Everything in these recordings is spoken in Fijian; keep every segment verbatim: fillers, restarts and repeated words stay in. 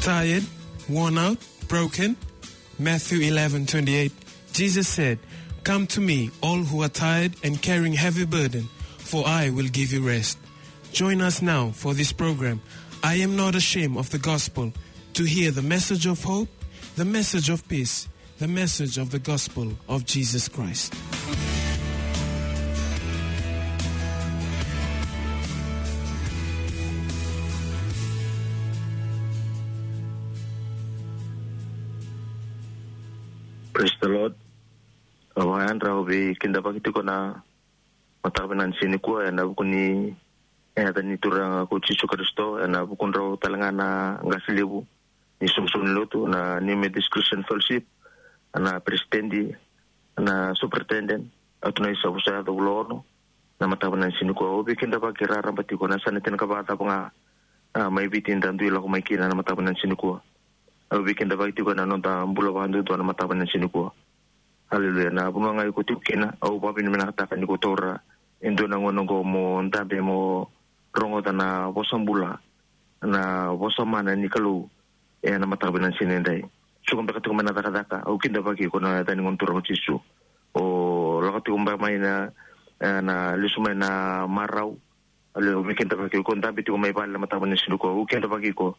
Tired, worn out, broken? Matthew eleven twenty-eight, Jesus said, "Come to me, all who are tired and carrying heavy burden, for I will give you rest." Join us now for this program, I Am Not Ashamed of the Gospel, to hear the message of hope, the message of peace, the message of the gospel of Jesus Christ. Praise the Lord. Au vakayadra au veikidavaki tiko na mataka vinaka ni siga nikua ena vuku ni, e, yaca ni Turaga ko Jisu Karisito, ena vukudrau tale ga na qase levu ni soqosoqo ni lotu na New Methodist Christian Fellowship, na peresitedi, na superintendent, au tu na isavusa yaco vula ono. Na mataka vinaka ni siga nikua au veikidavaki raraba tiko na sani tena ka vakacava ga, a, mai Viti da dui lako mai kina na mataka vinaka ni siga nikua. Au veikidavaki tiko ena noda bula vakadudua na mataka vinaka ni siga nikua. Haleluya. Na vanua ga iko tiko kina, au vakavinavinakataka ni ko taura e dua na gauna oqo mo dabe mo rogoca na vosa bula, na vosa mana ni Kalou, ena mataka vinaka ni siga nidai. Suka beka tiko mai na cakacaka, au kidavaki iko na yaca ni Gone Turaga o Jisu. O lako tiko beka mai na, e, na lesu mai na marau, Haleluya, au veikidavaki iko, dabe tiko mai vale na mataka vinaka ni siga nikua, au kidavaki iko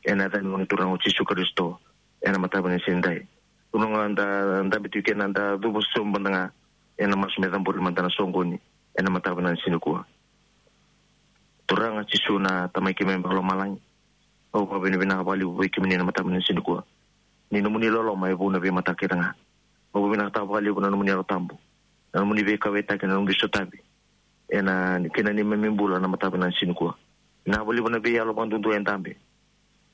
ena yaca ni Gone Turaga o Jisu Karisito, ena mataka vinaka ni siga nidai. Vanua ga da dabe tiko kina, da cuva sobu mada ga ena masu me cabori mada na soqoni ena mataka vinaka ni siga nikua. Turaga Jisu na Tamai keimami vakalomalagi, au vakavinavinaka vakalevu vei kemuni ena mataka vinaka ni siga nikua. Ni nomuni loloma e vou na veimataka kece ga. Au vakavinavinakataka vakalevu na nomuni Yalo Tabu, na nomuni veikauwaitaki, na nomuni sotavi ena kena neimami bula na mataka vinaka ni siga nikua. Vinaka vakalevu na veiyalo vakadudua e dabe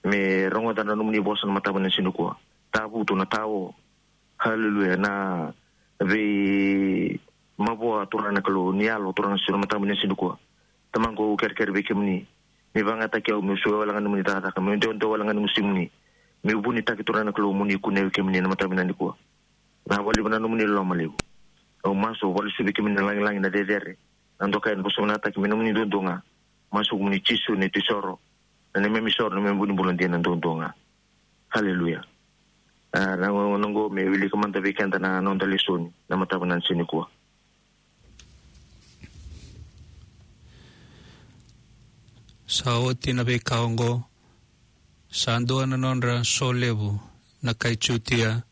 me rogoca na nomuni vosa na mataka vinaka ni siga nikua. Tavutu na tao. Haleluya. Na veimavoa, Turaga na Kalou, ni yalo, Turaga Jisu, na mataka vinaka ni siga nikua. Tamaqu, au kerekere vei kemuni, ni vakayagataki au meu suka wale ga nomuni cakacaka, meu dewadewa wale ga ni musimuni, meu vunitaki, Turaga na Kalou, moni kunei au kemuni na mataka vinaka nikua. Vinaka vakalevu na nomuni loloma levu. Au masu, au vakalesuvi kemuni na lagilagi, na cecere, na dokai, na vosa vinakataki me nomuni duadua ga. Masu kemuni Jisu, na neitou isoro, na neimami isoro, na neimami vu ni bula dina duadua ga. Haleluya. A, na gauna oqo me wilika mada vei keda na noda lesoni na mataka vinaka ni siga nikua. Sa oti na veika oqo, sa dua na nodra so levu na kai Jutia,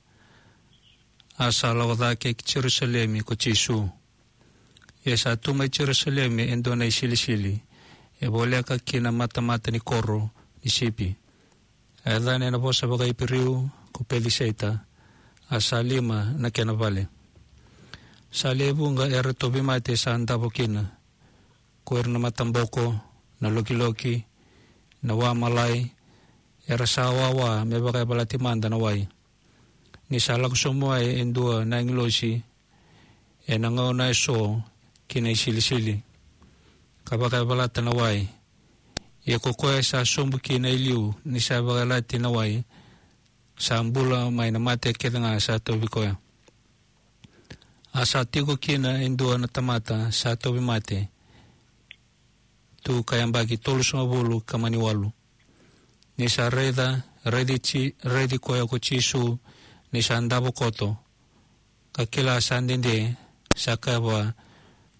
a sa lako cake ki Jerusalemi ko Jisu. Ia sa tu mai Jerusalemi e dua na isilisili e voleka ki na matamata ni koro ni sipi, a yacana ena vosa vakaIperiu ko Peciseita, a sa lima na kena vale. Sa lewe vuqa era tauvimate sa davo kina, ko ira na mataboko, na lokiloki, na wa malai, era sa wawa me vakayavalati mada na wai. Ni sa lako sobu mai e dua na agilosi ena gauna eso ki na isilisili, ka vakayavalata na wai. Ia ko koya sa sobu kina e liu ni sa vakayavalati na wai, sa bula mai na mate kece ga sa tauvi koya. A sa tiko kina e dua na tamata sa tauvimate tu ka yabaki tolusagavulu ka mani walu. Ni sa raica, raici Ji-, raici koya ko Jisu ni sa davo koto, ka kila sa dede, sa kaya vua,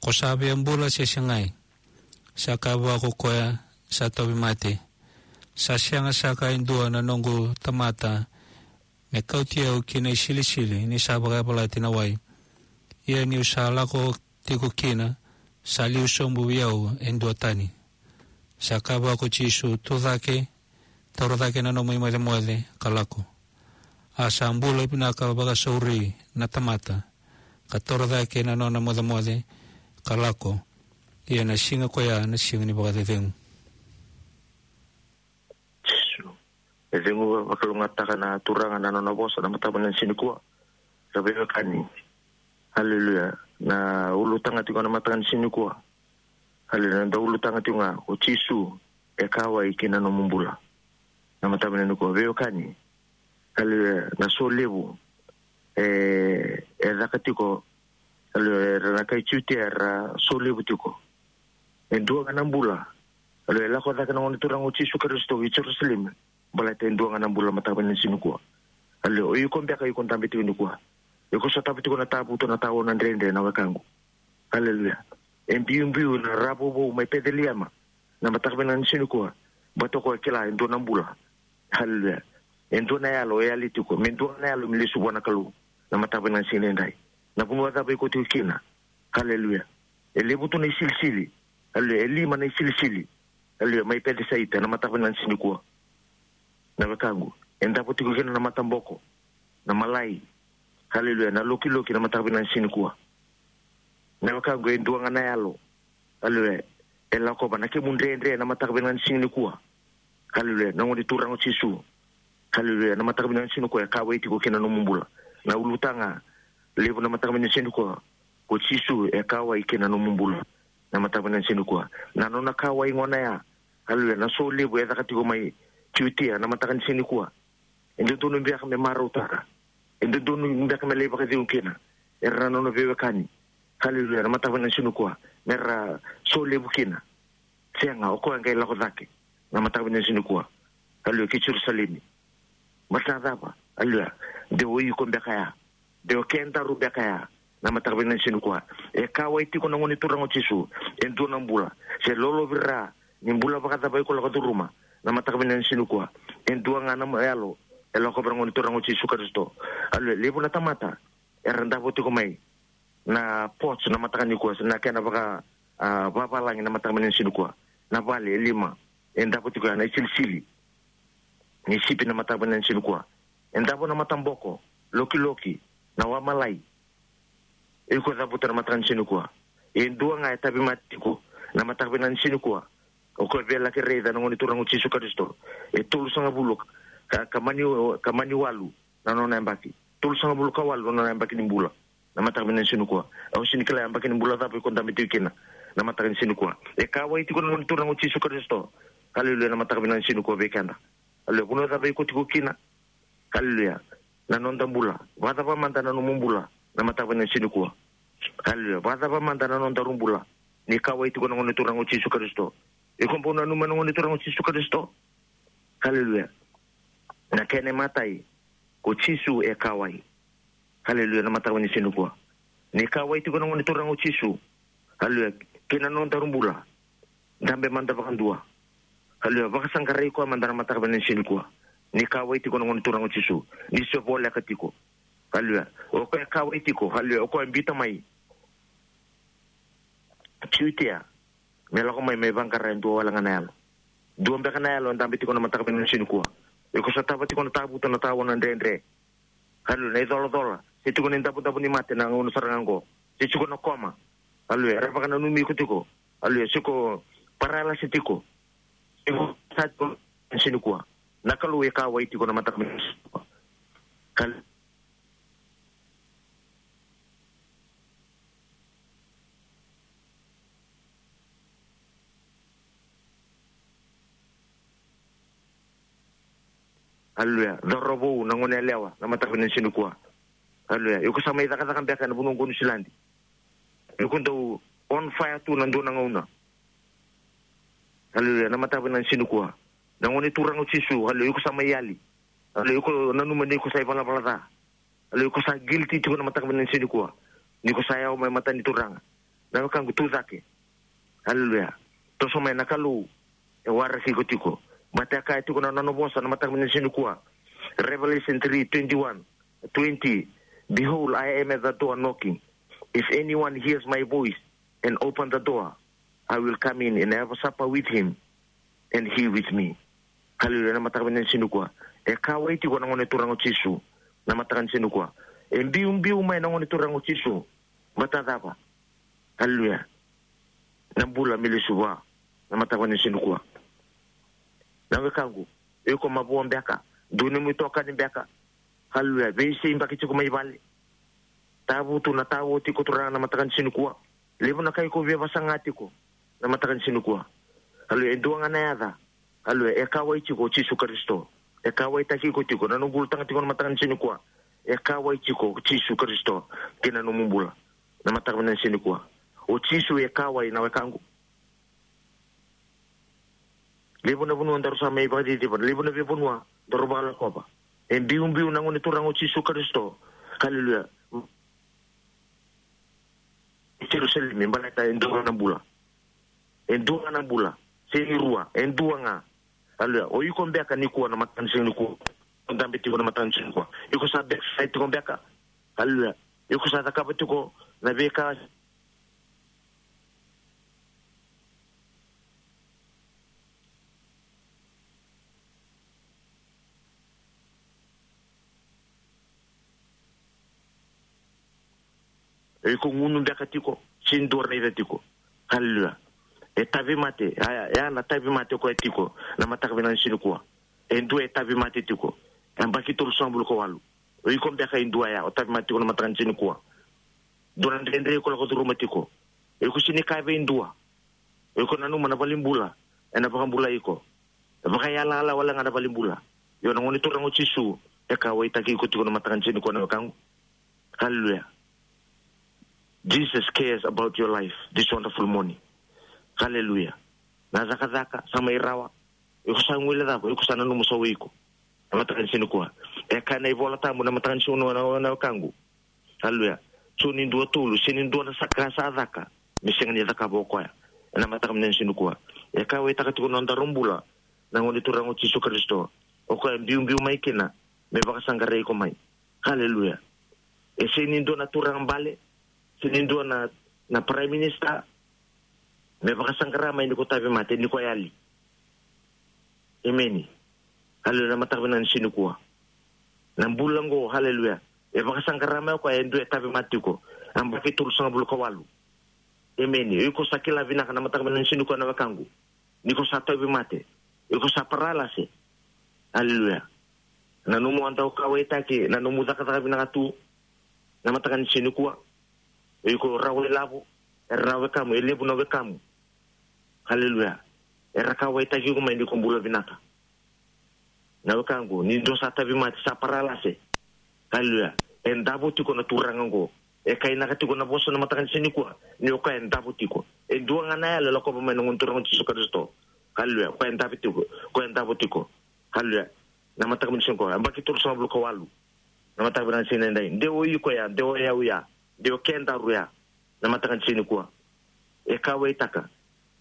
"Ko sa via bula se segai?" Sa kaya vua ko koya sa tauvimate, "Sa sega saka e dua na noqu tamata me kauti au ki na isilisili ni sa vakayavalati na wai. Ia niu sa lako tiko kina, sa liu sobu vei au e dua tani." Sa kaya vua ko Jisu, "Tu cake, taura cake na nomu imocemoce ka lako." A sa bula vinaka vakasauri na tamata, ka taura cake na nona mocemoce ka lako. Ia na siga koya na siga ni vakacecegu. Jisu. E cegu vakalougatataka na Turaga na nona vosa na mataka ni siga nikua. Sa veiwekani. Haleluya. Na ulutaga tiko na mataka ni siga nikua. Haleluya. Na ulutaga tiko ga o Jisu e kauwai ki na nomu bula. Na mataka ni siga nikua. Veiwekani. Haleluya. Na so levu. E, e caka tiko. Haleluya. Era na kai Jutia era so levu tiko. E dua ga na bula. Haleluya. E lako cake na Gone Turaga o Jisu Karisito i Jerusalemi. Baleta e dua ga na bula na mataka vinaka ni siga nikua. Haleluya. O iko beka iko dabe tiko nikua. Iko sotava tiko na tavutu, na tawa, na dredre na wekaqu. Haleluya. E biubiu na ra vouvou mai Peceliema na mataka vinaka ni siga nikua. Baleta o koya e kila e dua na bula. Haleluya. E dua na yalo e yali tiko. Me dua na yalo me lesu vua na Kalou na mataka vinaka ni siga nikua. Na vanua cava iko tiko kina. Haleluya. E levu tu na isilisili. Haleluya. E lima na isilisili. Haleluya. Mai Pecesaita na mataka vinaka ni siga nikua. Na wekaqu. E davo tiko kina na mataboko, na malai. Haleluya. Na lokiloki na mataka vinaka ni siga nikua. Na wekaqu, e dua ga na yalo. Haleluya. E lakova na kemu dredre na mataka vinaka ni siga nikua. Haleluya. Na Gone Turaga o Jisu. Haleluya. Na mataka vinaka ni siga nikua e kauwai tiko kina nomu bula. Na ulutaga levu na mataka vinaka ni siga nikua, ko Jisu e kauwai kina nomu bula. Na mataka vinaka ni siga nikua, na nona kauwai gona ya. Haleluya. Na so levu e caka tiko mai Jutia na mataka ni siga nikua. E dodonu beka me marautaka. E dodonu beka me lai vakacegu kina. Era na nona veiwekani. Haleluya. Na mataka vinaka ni siga nikua, me ra so levu kina. Sega, o koya qai lako cake na mataka vinaka ni siga nikua. Haleluya. Ki Jerusalemi. Baleta na cava? Haleluya. De o iko beka ya. De o kedaru beka ya. Na mataka vinaka ni siga nikua, e kauwai tiko na Gone Turaga o Jisu e dua na bula. Se lolovira ni bula vakacava iko lako curuma na mataka vinaka ni siga nikua, e dua ga na yalo e lakova na Gone Turaga o Jisu Karisito. Haleluya. Levu na tamata era davo tiko mai na porch na mataka nikua, se na kena vaka, a, vavalagi na mataka vinaka ni siga nikua. Na vale e lima e davo tiko ya, na isilisili ni sipi na mataka vinaka ni siga nikua. E davo na mataboko, lokiloki, na wamalai. Iko cavuta na mataka ni siga nikua. E dua ga e tauvimate tiko na mataka vinaka ni siga nikua. O koya via laki raica na Gone Turaga o Jisu Karisito. E tolusagavulu ka, ka mani, ka mani walu na nona yabaki. Tolusagavulu ka walu na nona yabaki ni bula. Na mataka vinaka ni siga nikua. Au sega ni kila yabaki ni bula cava iko dabe tiko kina na mataka ni siga nikua. E kauwai tiko na Gone Turaga o Jisu Karisito. Haleluya. Na mataka vinaka ni siga nikua vei keda. Haleluya. Vanua cava iko tiko kina. Haleluya. Na noda bula. Vakacava mada na nomu bula na mataka vinaka ni siga nikua. Haleluya. Vakacava mada na nodaru bula. Ni kauwai tiko na Gone Turaga o Jisu Karisito. Iko bau nanuma na Gone Turaga o Jisu Karisito. Haleluya. Na kena imatai, ko Jisu e kauwai. Haleluya. Na mataka vinaka ni siga nikua, ni kauwai tiko na Gone Turaga o Jisu. Haleluya. Kei na nodaru bula. Dabe mada vakadua. Haleluya. Vakasaqarai koya mada na mataka vinaka ni siga nikua. Ni kauwai tiko na Gone Turaga o Jisu. Ni se voleka tiko. Haleluya. O koya e kauwai tiko. Haleluya. O koya e biuta mai Jutia. Me lako mai, me vaqara e dua wale ga na yalo. Dua beka na yalo e dabe tiko na mataka vinaka ni siga nikua. Iko sotava tiko na tavutu, na tawa, na dredre. Haleluya. Na icolacola. Se tiko na idavodavo ni mate na gauna sara ga oqo. Se tiko na koma. Haleluya. Era vakananumi iko tiko. Haleluya. Se ko paralasi tiko. Se ko sa tiko na siga nikua. Na Kalou e kauwai tiko na mataka vinaka ni siga nikua. Haleluya. Haleluya. Cauravou, na gone yalewa, na mataka vinaka ni siga nikua. Haleluya. Iko sa mai cakacaka beka ena vanua oqo Niusiladi. Iko dau on fire tu na dua na gauna. Haleluya. Na mataka vinaka ni siga nikua, na Gone Turaga o Jisu. Haleluya. Iko sa mai yali. Haleluya. Iko nanuma ni iko sa ivalavala ca. Haleluya. Iko sa guilty tiko na mataka vinaka ni siga nikua, ni ko sa yawa mai mata ni Turaga. Na wekaqu, tu cake. Haleluya. Toso mai, na Kalou e waraki iko tiko. Baleta e kaya tiko na nona vosa na mataka vinaka ni siga nikua. Revelation three twenty-one, twenty. "Behold, I am at the door knocking. If anyone hears my voice and open the door, I will come in and have a supper with him and he with me." Haleluya. Na mataka vinaka ni siga nikua, e kauwai tiko na Gone Turaga o Jisu. Na mataka ni siga nikua, e biubiu mai na Gone Turaga o Jisu. Baleta cava? Haleluya. Na bula me lesu vua. Na mataka vinaka ni siga nikua, na wekaqu, iko mavoa beka, dua nomu itokani beka. Haleluya. Veisei beka tiko mai vale. Tavutu na tawa tiko, Turaga, na mataka ni siga nikua. Levu na ka iko via vasaga tiko na mataka ni siga nikua. Haleluya. E dua ga na yaca. Haleluya. E kauwai tiko o Jisu Karisito. E kauwaitaki iko tiko. Na noqu ulutaga tiko na mataka ni siga nikua, e kauwai tiko o Jisu Karisito kei na nomu bula. Na mataka vinaka ni siga nikua, o Jisu e kauwai, na wekaqu. Levu na vanua daru sa mai vakaciciva, levu na veivanua daru vakalakova. E biubiu na Gone Turaga o Jisu Karisito. Haleluya. Jerusalemi, baleta e dua ga na bula. E dua ga na bula. Sega ni rua, e dua ga. Haleluya. O iko beka nikua na mataka ni siga nikua. O dabe tiko na mataka ni siga nikua. Iko sa backslide tiko beka. Haleluya. Iko sa cakava tiko na veika E iko gunu beka tiko, se dua raica tiko. Haleluya. E tauvimate, ya, ya na tauvimate o koya tiko, na mataka vinaka ni siga nikua. E dua e tauvimate tiko, e yabaki tolusagavulu ka walu. O iko beka e dua ya, o tauvimate tiko na mataka ni siga nikua. Dua na dredre iko lako curuma tiko. E iko sega ni kaya vei dua. O iko nanuma na valenibula, ena vakabulai iko. E vakayalayala wale ga na valenibula. Io na Gone Turaga o Jisu, e kauwaitaki iko tiko na mataka ni siga nikua na wekaqu. Haleluya. Jesus cares about your life this wonderful morning. Haleluya. Na cakacaka, sa mai rawa. Iko sa guilecava, iko sa nanuma sa o iko. Na mataka ni siga nikua. E kaya na iVola Tabu na mataka ni siga nikua na, na wekaqu. Haleluya. Joni dua tolu, sega ni dua na sa ka sa caka, me sega ni cakava o koya. Ena mataka vinaka ni siga nikua. E kauwaitaka tiko na nodaru bula, na Gone Turaga o Jisu Karisito. O koya e biubiu mai kina, me vakasaqarai iko mai. Haleluya. E sega ni dua na turaga bale, sega ni dua na, na prime minister, me vakasaqara mai ni ko tauvimate, ni ko yali. Emeni. Haleluya, na mataka vinaka ni siga nikua. Na bula qo, haleluya. E vakasaqara mai o koya e dua e tauvimate tiko. Yabaki tolusagavulu ka walu. Emeni. O iko sa kila vinaka na mataka vinaka ni siga nikua na wekaqu. Ni ko sa tauvimate. O iko sa paralase. Haleluya. Na nomu a dau kauwaitaki, na nomu cakacaka vinaka tu. Na mataka ni siga nikua. O iko rawa ilavo, era na wekamu, e levu na wekamu. Haleluya. Era kauwaitaki iko mai ni ko bula vinaka. Na wekaqu, ni dua sa tauvimate, sa paralase. Haleluya. E davo tiko na turaga qo. E kainaka tiko na vosa na mataka ni siga nikua. Ni o koya e davo tiko. E dua ga na yalo e lakova mai na Gone Turaga o Jisu Karisito. Haleluya. O koya e davo tiko. O koya e davo tiko. Haleluya. Na mataka ni siga nikua. Yabaki tolusagavulu ka walu. Na mataka vinaka ni siga nidai. De o iko ya, de o yau ya. De o kedaru ya. Na mataka ni siga nikua. E kauwaitaka.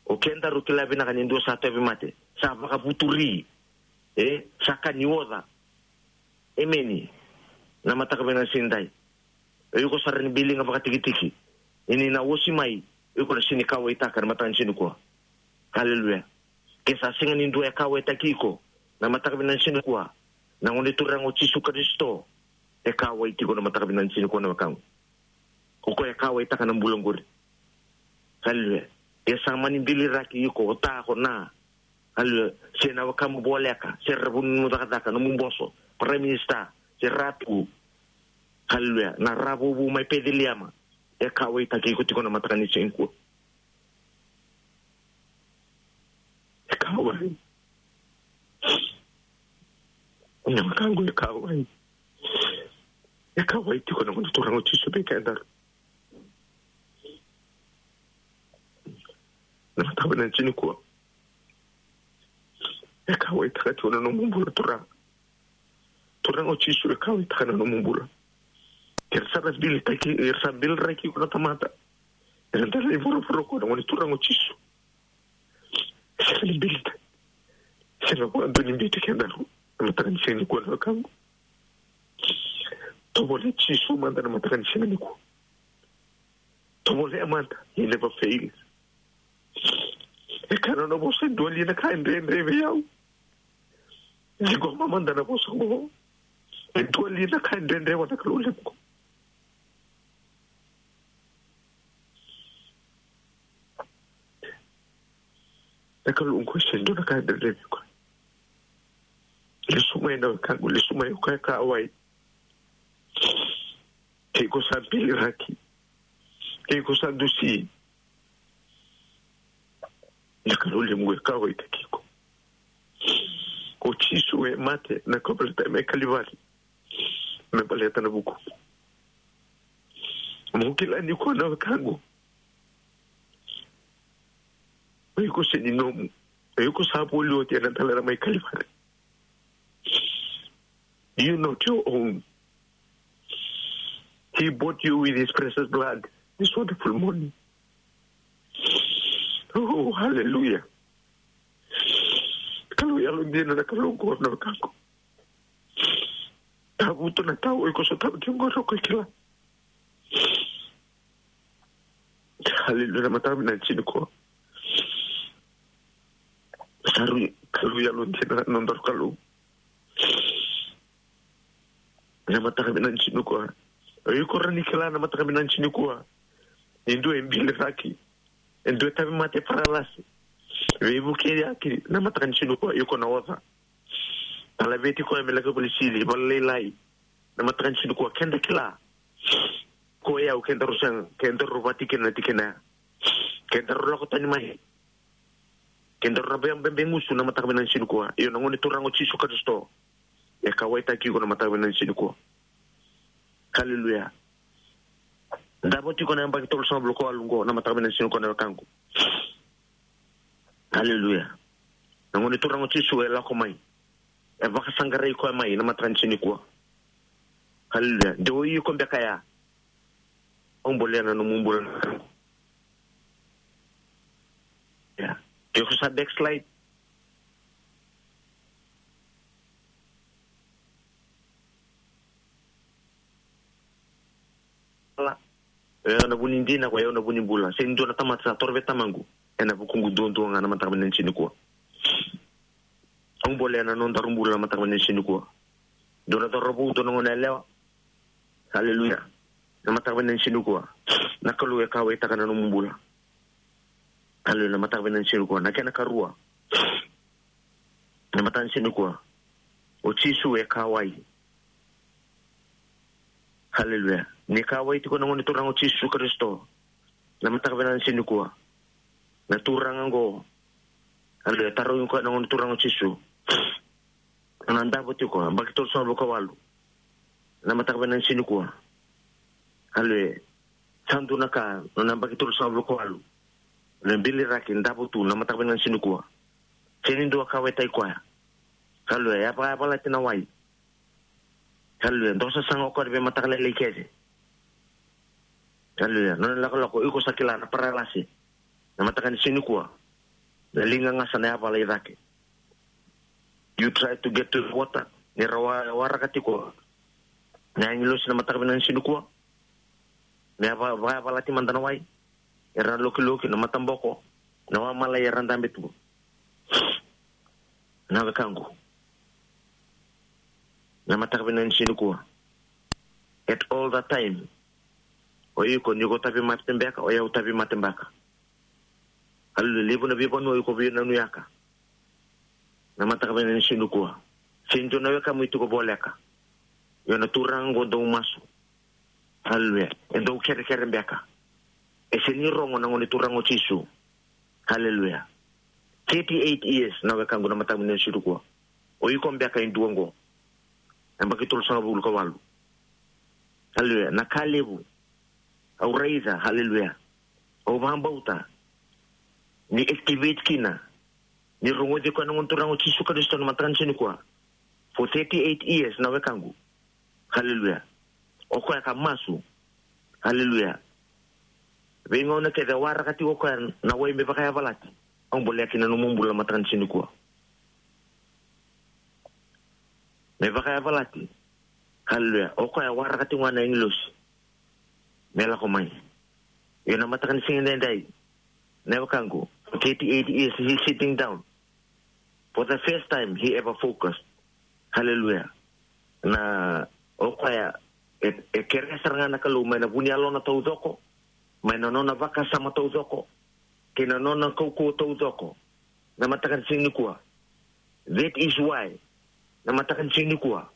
O kedaru kila vinaka ni dua sa tauvimate. Sa vakavuturi. E, sa ka ni oca. Emeni. Na mataka vinaka ni siga nidai. O iko sa rawa ni biliga vakatikitiki. Ia ni na osi mai. O iko na sega ni kauwaitaka na mataka ni siga nikua. Haleluya. Ke sa sega ni dua e kauwaitaki iko, na mataka vinaka ni siga nikua, na Gone Turaga o Jisu Karisito, e kauwai tiko na mataka vinaka ni siga nikua na wekaqu. O koya e kauwaitaka na bula qori. Haleluya. Ke sa mani biliraki iko, o ta, ko na. Haleluya. Se na wekamu voleka, se ra vunau cakacaka, nomu boso, prime minister, se ratu. Haleluya. Na ravovu mai Peceliema, e kauwaitaki iko tiko na mataka ni siga nikua. E kauwai. Na wekaqu e kauwai. E kauwai tiko na Gone Turaga o Jisu vei kedaru. Na mataka vinaka ni siga nikua. E kauwaitaka tiko na nomu bula turaga. Turaga o Jisu e kauwaitaka na nomu bula. Ke ra sa bilitaki, ke ra sa biliraki iko na tamata. Ena dela ni vuravura qo na Gone Turaga o Jisu. Sega ni bilita. Sega qo e dua ni biuti kedaru. Na mataka ni siga nikua na wekaqu. Tovolea Jisu mada na mataka ni siga nikua. Tovolea mada, he never fails. E kaya na nona vosa, e dua li na ka e dredre vei au. Ni qo mada na vosa qo. E dua li na ka e dredre vua na Kalou levu qo. Na Kalou qo e sega ni dua na ka e dredre vei koya. Lesu mai na wekaqu, lesu mai o koya e kauwai. Ke iko sa biliraki. Ke iko sa dusi. Na Kalou levu e kauwaitaki iko. O Jisu e mate na kauveilatai mai Kalivari. Me baleta na vukumu. Mo kila ni ko na wekaqu. O iko sega ni nomu. O iko sa voli oti ena dela mai Kalivari. You not your own. He bought you with his precious blood. This wonderful morning. Oh, hallelujah. Kalou yalodina na Kalou qo na wekaqu. Tavutu na tau iko sotava tiko qo, o iko kila. Hallelujah, na mataka vinaka ni siga nikua. Sa rui, Kalou yalodina na nodaru Kalou. Na mataka vinaka ni siga nikua. O iko rawa ni kila na mataka vinaka ni siga nikua. E dua e biliraki. E dua e tauvimate paralasi. Veivukei oti na mataka ni siga nikua. Iko na oca. Talaveti koya me lako i vale ni sili, valelailai. Na mataka ni siga nikua, keda kila. Ko yau, kedaru sega, kedaru vakatikina na tikina ya. Kedaru lako tani mai. Kedaru na bebe, bebegusu na mataka vinaka ni siga nikua. Io, na Gone Turaga o Jisu Karisito. E kauwaitaki iko na mataka vinaka ni siga nikua. Haleluya. Davo tiko na yabaki tolusagavulu ka walu qo na mataka vinaka ni siga nikua na wekaqu. Haleluya. Na Gone Turaga o Jisu e lako mai. E vakasaqarai koya mai na mataka ni siga nikua. Haleluya. De o iko beka ya. Au bolea na nomu bula. Ya. Ke ko sa backslide. Bula. E au na vu ni dina, ko e au na vu ni bula. Se ni dua na tamata sa toro vei Tamaqu, ena vukuqu duadua ga na mataka vinaka ni siga nikua. Au bolea na nodaru bula na mataka vinaka ni siga nikua. Dua na cauravou, dua na goneyalewa. Haleluya. Na mataka vinaka ni siga nikua. Na Kalou e kauwaitaka na nomu bula. Haleluya. Na mataka vinaka ni siga nikua. Na kena ikarua. Na mataka ni siga nikua. O Jisu e kauwai. Haleluya. Ni kauwai tiko na Gone Turaga o Jisu Karisito. Na mataka vinaka ni siga nikua. Na turaga qo. Haleluya. Tarogi koya na Gone Turaga o Jisu. Na davo tiko, yabaki tolusagavulu ka walu. Na mataka vinaka ni siga nikua. Haleluya. Sa dua na ka, na yabaki tolusagavulu ka walu. Na biliraki, davo tu, na mataka vinaka ni siga nikua. Se ni dua kauwaitaki koya. Haleluya. E a vakayavalati na wai. Haleluya. Dou sasaga o koya vei mataka lailai kece. Haleluya. Nona lakolako, iko sa kila na paralasi. Na mataka ni siga nikua. Na liga ga sa na yavala i cake. You try to get to the water. Ni ra wa-, waraka tiko. Na agilosi na mataka vinaka ni siga nikua. Me va-, vakayavalati mada na wai. Era lokiloki, na mataboko. Na wamalai era dabe tu. Na wekaqu. Na mataka vinaka ni siga nikua. At all the time. O iko ni ko tauvimate beka, o yau tauvimate beka. Haleluya, levu na veivanua iko veinanuyaka. Na mataka vinaka ni siga nikua. Se dua na wekamu e tiko voleka. Io na turaga qo dou masu. Haleluya. E dou kerekere beka. E se ni rogo na Gone Turaga o Jisu. Haleluya. Thirty-eight years na wekaqu na mataka vinaka ni siga nikua. O iko beka e dua qo. Yabaki tolusagavulu ka walu. Haleluya. Na ka levu. Au raica. Haleluya. Au vakabauta. Ni activate kina. Ni rogoci koya na Gone Turaga o Jisu Karisito na mataka ni siga nikua. For thirty-eight years na wekaqu. Haleluya. O koya ka masu. Haleluya. Veigauna kece waraka tiko o koya na wai me vakayavalati. Au bolea kina nomu bula na mataka ni siga nikua. Me vakayavalati. Haleluya. O koya waraka tiko ga na agilosi. Me lako mai. Io na mataka ni siga edaidai. Na wekaqu. Thirty-eight years he's sitting down. For the first time he ever focused. Haleluya. Na o koya e, e kerea sara ga na Kalou mai na vu ni yalona taucoko. Mai na nona vakasama taucoko. Kei na nona kaukauwa taucoko. Na mataka ni siga nikua. That is why. Na mataka ni siga nikua.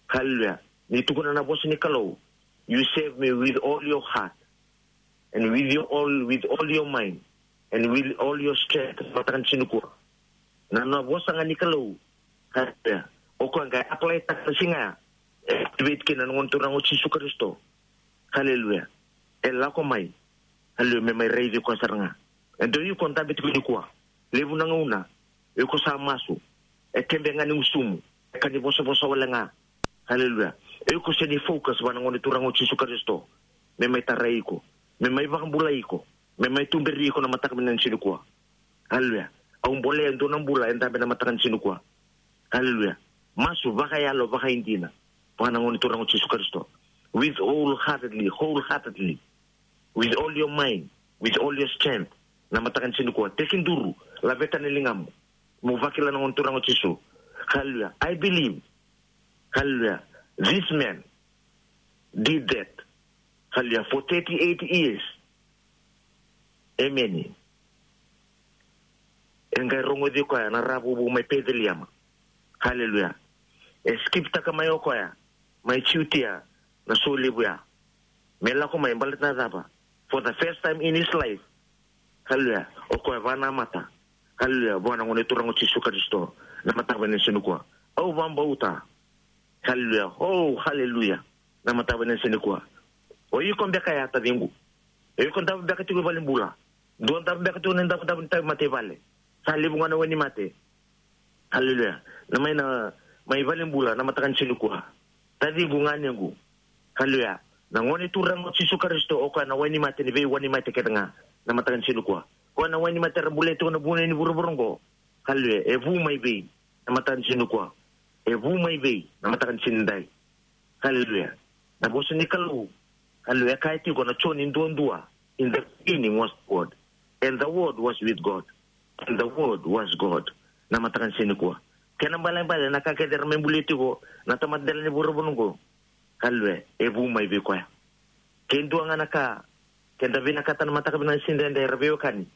Haleluya. Ni tukuna na vosa ni Kalou. You serve me with all your heart. And with your all, with all your mind. And with all your strength. Mataka ni siga nikua. Na, na vosa ga ni Kalou. Haleluya. O koya qai apply taka na siga ya. E activate kina na Gone Turaga o Jisu Karisito. Haleluya. E lako mai. Haleluya. Me mai raici koya sara ga. E dua iko dabe tiko nikua. Levu na gauna. O iko sa masu. E kebe ga ni gusumu. E ka ni vosavosa wale ga. Haleluya. O iko sega ni focus vua na Gone Turaga o Jisu Karisito. Me mai tarai iko. Me mai vakabulai iko. Me mai tuberi iko na mataka vinaka ni siga nikua. Haleluya. Au bolea e dua na bula e dabe na mataka ni siga nikua. Haleluya. Masu vakayalo vakaidina. Vua na Gone Turaga o Jisu Karisito. With wholeheartedly, wholeheartedly. With all your mind, with all your strength. Na mataka ni siga nikua. Tekiduru, laveta na ligamu. Mo vakila na Gone Turaga o Jisu. Haleluya. I believe. Haleluya. This man did that. Haleluya. For thirty-eight years. Emeni. E qai rogoci koya na ravuvu mai Peceliema. Haleluya. E skiptaka mai o koya mai Jutia na so levu ya. Me lako mai baleta na cava? For the first time in his life. Haleluya. O koya vanamata. Haleluya. Vua na Gone Turaga o Jisu Karisito. Na mataka vinaka ni siga nikua. Au vabauta. Haleluya. Oh, haleluya. Na mataka vinaka ni siga nikua. O iko beka ya, taciqu. O iko davo beka tiko i valenibula. Dua davo beka tiko na idavodavo ni tauvimate i vale. Sa levu ga na wainimate. Haleluya. Na mai na, mai valenibula na mataka ni siga nikua. Taciqu, ganequ. Haleluya. Na Gone Turaga o Jisu Karisito, o koya na wainimate ni veiwainimate kece ga. Na mataka ni siga nikua. Koya na wainimate era bulai tiko na vuna ni vuravura oqo. Haleluya. E vu mai vei? Na mataka ni siga nikua. E vu mai vei? Na mataka ni siga nidai. Haleluya. Na vosa ni Kalou. Haleluya. E kaya tiko na Joni duadua. In the beginning was the Word. And the Word was with God. And the Word was God. Na mataka ni siga nikua. Kena ibalebale na ka kece era mai bulia tiko na tamata dela ni vuravura oqo. Haleluya. E vu mai vei koya. Ke dua ga na ka keda vinakata na mataka vinaka ni siga nidai, era veiwekani.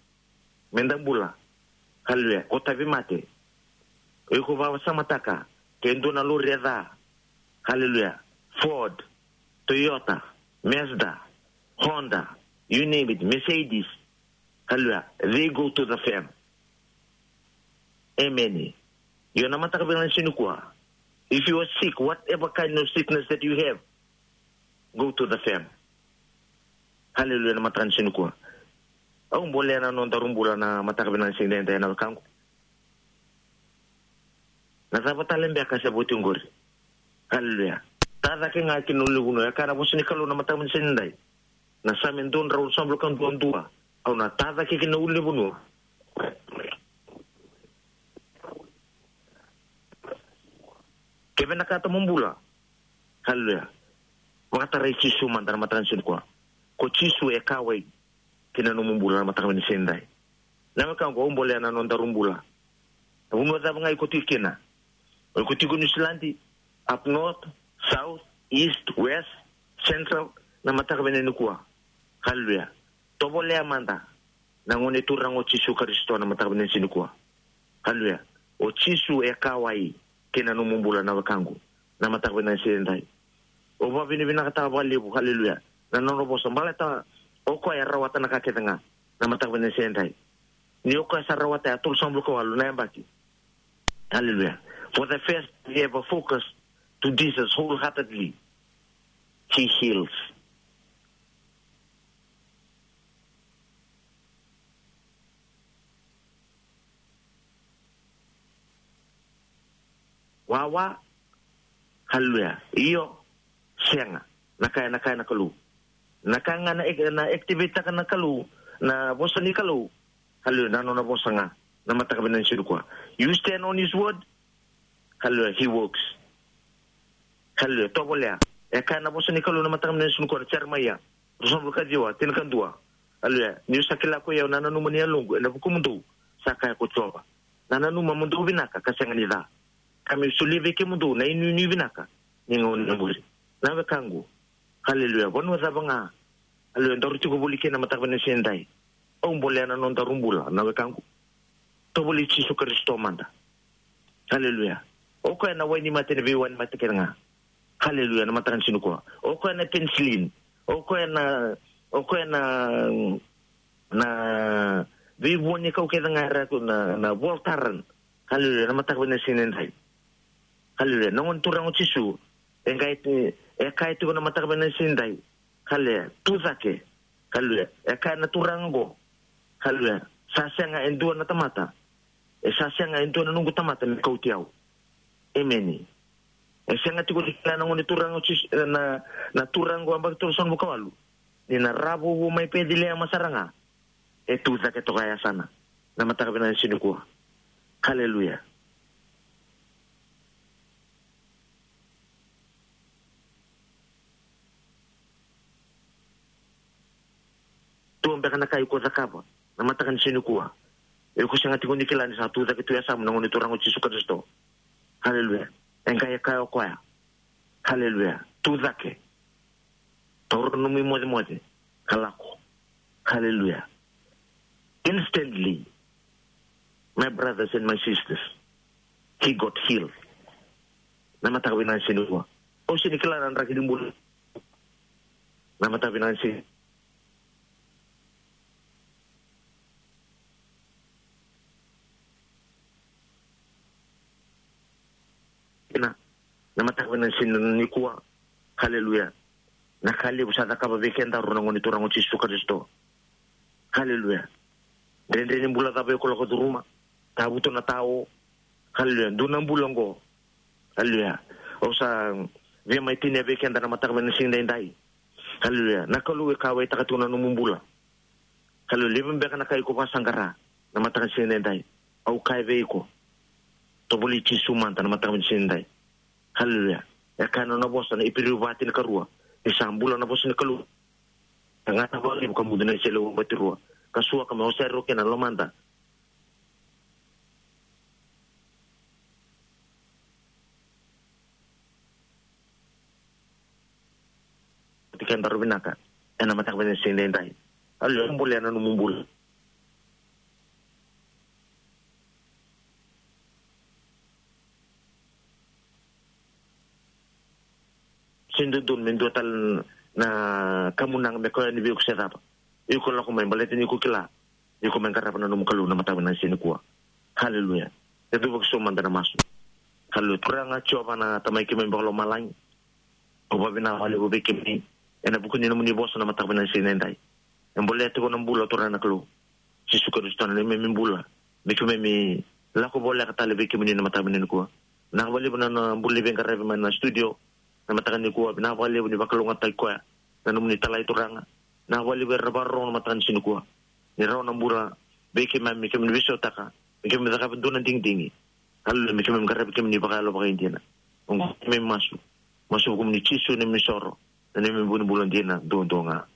Meda bula. Haleluya. Ko tauvimate. O iko vakasamataka. Ke dua na lori e ca. Haleluya. Ford, Toyota, Mazda, Honda, you name it, Mercedes. Haleluya. They go to the firm. Emeni. Io, na mataka vinaka ni siga nikua. If you are sick, whatever kind of sickness that you have, go to the firm. Haleluya, na mataka ni siga nikua. Au bolea na nodaru bula na mataka vinaka ni siga nidai, na wekaqu. Na cava tale beka se vo tiko qori? Haleluya. Ta cake ga ki na ulunivanua, e kaya na vosa ni Kalou na mataka vinaka ni siga nidai. Na Same dua na drau ruasagavulu ka dua dua. Au na ta cake ki na ulunivanua. Ke vinakata mo bula. Haleluya. Vakatarai Jisu mada na mataka ni siga nikua. Ko Jisu e kauwai ki na nomu bula na mataka vinaka ni siga nidai. Na wekaqu, au bolea na nodaru bula. Na vanua cava ga iko tiko kina. O iko tiko Niusiladi, up north, south, east, west, central, na mataka vinaka nikua. Haleluya. Tovolea mada na Gone Turaga o Jisu Karisito na mataka vinaka ni siga nikua. Haleluya. O Jisu e kauwai ki na nomu bula na wekaqu. Na mataka vinaka ni siga nidai. Au vakavinavinakataka vakalevu, haleluya, na nona vosa baleta o koya e rawata na ka kece ga. Na mataka vinaka ni siga nidai. Ni o koya sa rawata ya tolusagavulu ka walu na yabaki. Haleluya. For the first, we have a focus to Jesus wholeheartedly. He heals. Wawa. Haleluya. Io. Sega. Na kaya, na kaya na Kalou. Na ka ga na, na activate-taka na Kalou, na vosa ni Kalou. Haleluya, na nona vosa ga. Na mataka vinaka ni siga nikua. You stand on his word. Haleluya, he works. Haleluya, tovolea. E kaya na vosa ni Kalou na mataka vinaka ni siga nikua, Jeremaia ruasagavulu ka ciwa, tinikadua. Haleluya. Niu sa kila ko i au na nanuma ni yaloqu ena vukumudou, sa kaya ko Jiova. Na nanuma mo dou vinaka ka sega ni ca, ka me'u solia vei kemudou na inuinui vinaka ni gauna na muri. Na wekaqu. Haleluya. Vanua cava ga, haleluya, daru tiko voli kina na mataka vinaka ni siga nidai. Au bolea na nodaru bula na wekaqu. Tovolei Jisu Karisito mada. Haleluya. O koya na wainimate ni veiwainimate kece ga. Haleluya, na mataka ni siga nikua. O koya na penicillin. O koya na, o koya na, na veivua ni kau kece ga era tu na, na Voltaren. Haleluya, na mataka vinaka ni siga nidai. Haleluya, na Gone Turaga o Jisu. E qai, e kaya tiko na mataka vinaka ni siga nidai. Haleluya, tu cake. Haleluya, e kaya na Turaga oqo. Haleluya, sa sega e dua na tamata E sa sega e dua na noqu tamata me kauti au. Emeni. E sega tiko ni kila na Gone Turaga o Jisu, na, na Turaga o Yabaki tolusagavulu ka walu, ni na ravuvu mai Peceliema sara ga, e tu cake toka e yasana. Na mataka vinaka ni siga nikua. Haleluya. Tu beka na ka iko cakava na mataka ni siga nikua. Iko sega tiko ni kila ni sa tu cake tu e yasamu na Gone Turaga o Jisu Karisito. Haleluya. E qai kaya o koya. Haleluya. Tu cake. Taura nomu imocemoce ka lako. Haleluya. Instantly, my brothers and my sisters, he got healed. Na mataka vinaka ni siga nikua. Au sega ni kila na draki ni bula. Na mataka vinaka ni siga nikua. Na mataka vinaka ni siga nikua. Haleluya. Na ka levu sa cakava vei kedaru na Gone Turaga o Jisu Karisito. Haleluya. Dredre ni bula cava iko lako curuma. Tavuto na tao. Haleluya. Dua na bula oqo. Haleluya. Au sa via mai tinia vei keda na mataka vinaka ni siga daidai. Haleluya. Na Kalou e kauwaitaka tiko na nomu bula. Haleluya. Levu beka na ka iko vakasaqara na mataka ni siga daidai. Au kaya vei iko, tovolei Jisu mada na mataka ni siga daidai. Haleluya. E kaya na nona vosa na Iperiu va tinikarua, ni sa bula na vosa ni Kalou, e gata vakalevu ka mudu na iseleiwau batirua, ka suaka me osere o kena lomada. Oti kedaru vinaka ena mataka vinaka ni siga daidai. Haleluya. Bolea na nomu bula. Se dodonu me dua tale na kamunaga me koya ni vei iko se cava. Iko lako mai baleta ni iko kila iko mai qarava na nomu Kalou na mataka vinaka ni siga nikua. Haleluya. E cuva ki so mada na masu. Haleluya. Turaga Jiova na Tamai keimami vakalomalagi. Au vakavinavinaka vakalevu vei kemuni ena vuku ni nomuni vosa na mataka vinaka ni siga daidai. E bolea tiko na bula o Turaga na Kalou Jisu Karisito na neimami bula. Me keimami lako voleka tale vei kemuni na mataka vinaka nikua. Vinaka vakalevu na, na bula ni veiqaravi mai na studio na mataka nikua. Vinaka vakalevu ni vakalougatataki koya na nomuni talai Turaga. Vinaka vakalevu era vakarorogo na mataka ni siga nikua. Ni rawa na bula vei keimami, me keimami veisautaka, me keimami cakava dua na digidigi. Haleluya. Me keimami qaravi kemuni vakayalo vakaidina. Oqo keimami masu. Masu vukumuni Jisu neimami soro, na neimami vunibula dina duadua ga.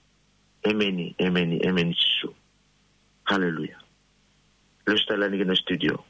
Emeni, emeni, emeni Jisu. Haleluya. Lesu tale yani ki na studio.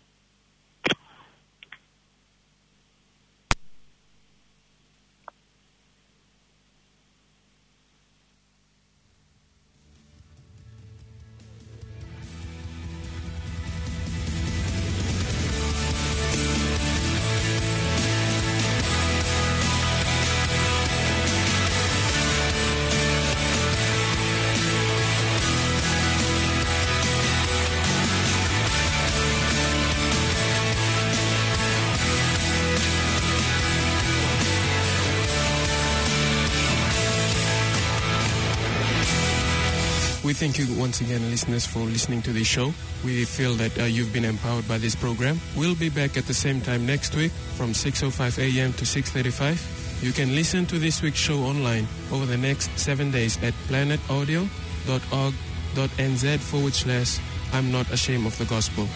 We thank you once again, listeners, for listening to this show. We feel that, uh, you've been empowered by this program. We'll be back at the same time next week from six oh five a m to six thirty-five. You can listen to this week's show online over the next seven days at planet audio dot org dot n z forward slash I'm not ashamed of the gospel.